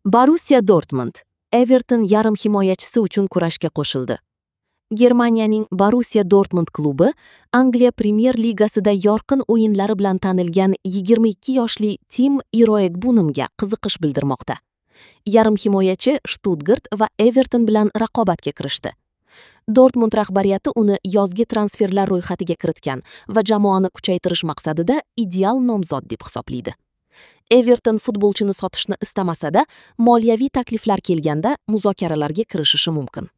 Borussiya Dortmund Everton yarim himoyachisi uchun kurashga qo'shildi. Germaniyaning Borussiya Dortmund klubi Angliya Premyer Ligasida yorqin o'yinlari bilan tanilgan 22 yoshli Tim Iroegbunamga qiziqish bildirmoqda. Yarim himoyachi Stuttgart va Everton bilan raqobatga kirishdi. Dortmund rahbariyati uni yozgi transferlar ro'yxatiga kiritgan va jamoani kuchaytirish maqsadida ideal nomzod deb hisoblaydi. Everton futbolchini sotishni istamasa-da, moliyaviy takliflar kelganda muzokaralarga kirishishi mumkin.